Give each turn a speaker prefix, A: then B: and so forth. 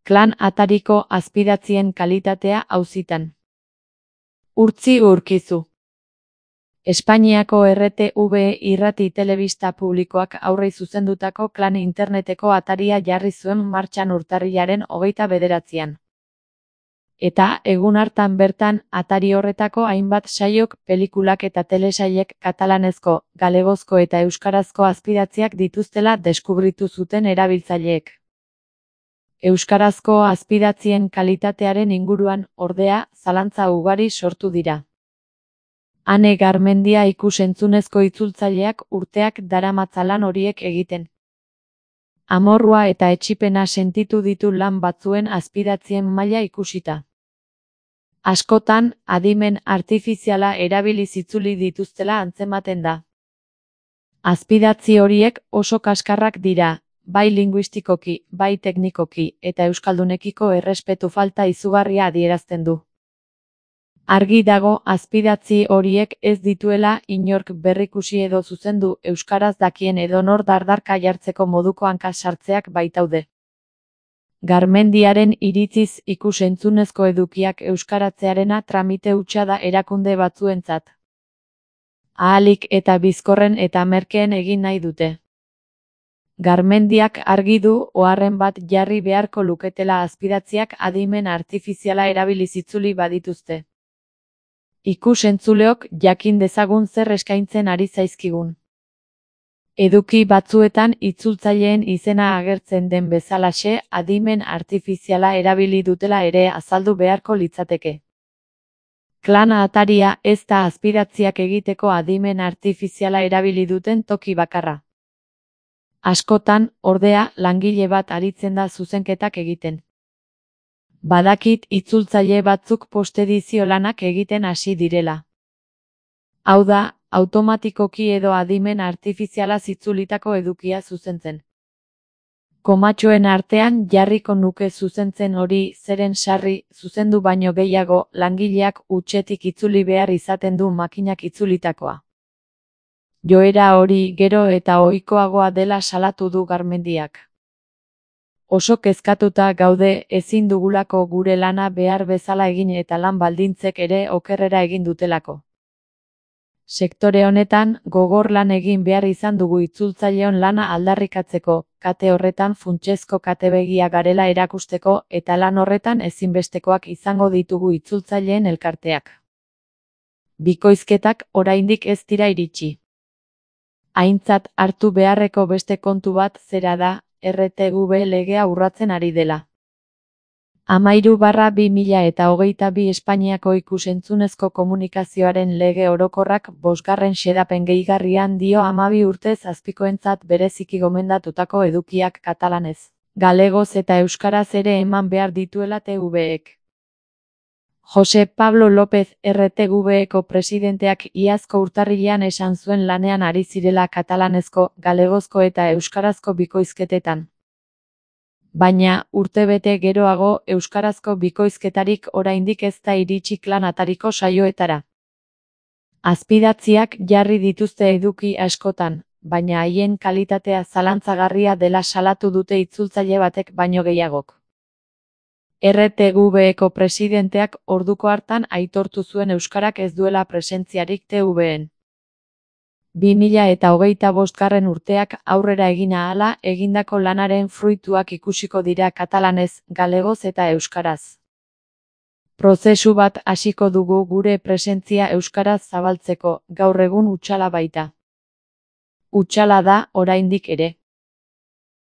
A: Klan atariko azpidatzien kalitatea auzitan. Urtzi Urkizu. Espainiako RTV irrati telebista publikoak aurrei zuzendutako Klan interneteko ataria jarri zuen martxan urtarrilaren 29an. Eta egun hartan bertan atari horretako hainbat saiok, pelikulak eta telesailek katalanezko, galegozko eta euskarazko azpidatziak dituztela deskubritu zuten erabiltzaileek. Euskarazko azpidatzien kalitatearen inguruan, ordea, zalantza ugari sortu dira. Ane Garmendia ikus-entzunezko itzultzaileak urteak daramatza lan horiek egiten. Amorrua eta etsipena sentitu ditu lan batzuen azpidatzien maila ikusita. Askotan, adimen artifiziala erabiliz itzuli dituztela antzematen da. Azpidatzi horiek oso kaskarrak dira, bai linguistikoki, bai teknikoki, eta euskaldunekiko errespetu falta izugarria adierazten du. Argi dago azpidatzi horiek ez dituela inork berrikusi edo zuzendu, euskaraz dakien edonor dardarka jartzeko moduko hanka sartzeak baitaude. Garmendiaren iritziz ikus-entzunezko edukiak euskaratzearena tramite hutsa da erakunde batzuentzat. Ahalik eta bizkorren eta merkeen egin nahi dute. Garmendiak argi du oharren bat jarri beharko luketela azpidatziak adimen artifiziala erabiliz itzuli badituzte. Ikus-entzuleok jakin dezagun zer eskaintzen ari zaizkigun. Eduki batzuetan itzultzaileen izena agertzen den bezalaxe adimen artifiziala erabili dutela ere azaldu beharko litzateke. Klan ataria ez da azpidatziak egiteko adimen artifiziala erabili duten toki bakarra. Askotan, ordea, langile bat aritzen da zuzenketak egiten. Badakit itzultzaile batzuk postedizio lanak egiten hasi direla. Hau da, automatikoki edo adimen artifiziala itzulitako edukia zuzentzen. Komatxoen artean jarriko nuke zuzentzen hori zeren sarri, zuzendu baino gehiago, langileak hutsetik itzuli behar izaten du makinak itzulitakoa. Joera hori gero eta ohikoagoa dela salatu du Garmendiak. Oso kezkatuta gaude ezin dugulako gure lana behar bezala egin eta lan baldintzek ere okerrera egin dutelako. Sektore honetan, gogor lan egin behar izan dugu itzultzaileon lana aldarrikatzeko, kate horretan funtsezko katebegia garela erakusteko eta lan horretan ezinbestekoak izango ditugu itzultzaileen elkarteak. Bikoizketak oraindik ez dira iritsi. Aintzat hartu beharreko beste kontu bat zera da, RTV legea urratzen ari dela. 13/2022 Espainiako ikus-entzunezko komunikazioaren lege orokorrak 5. xedapen gehigarrian dio 12 urtez azpikoentzat bereziki gomendatutako edukiak katalanez, galegoz eta euskaraz ere eman behar dituela TVek. Jose Pablo López RTVeko presidenteak iazko urtarrilean esan zuen lanean ari zirela katalanezko, galegozko eta euskarazko bikoizketetan. Baina, urtebete geroago euskarazko bikoizketarik oraindik ez da iritsi Klan atariko saioetara. Azpidatziak jarri dituzte eduki askotan, baina haien kalitatea zalantzagarria dela salatu dute itzultzaile batek baino gehiagok. RTVeko presidenteak orduko hartan aitortu zuen euskarak ez duela presentziarik TVen. 2025 urteak aurrera egin ahala egindako lanaren fruituak ikusiko dira katalanez, galegoz eta euskaraz. Prozesu bat hasiko dugu gure presentzia euskaraz zabaltzeko, gaur egun hutsala baita. Hutsala da oraindik ere.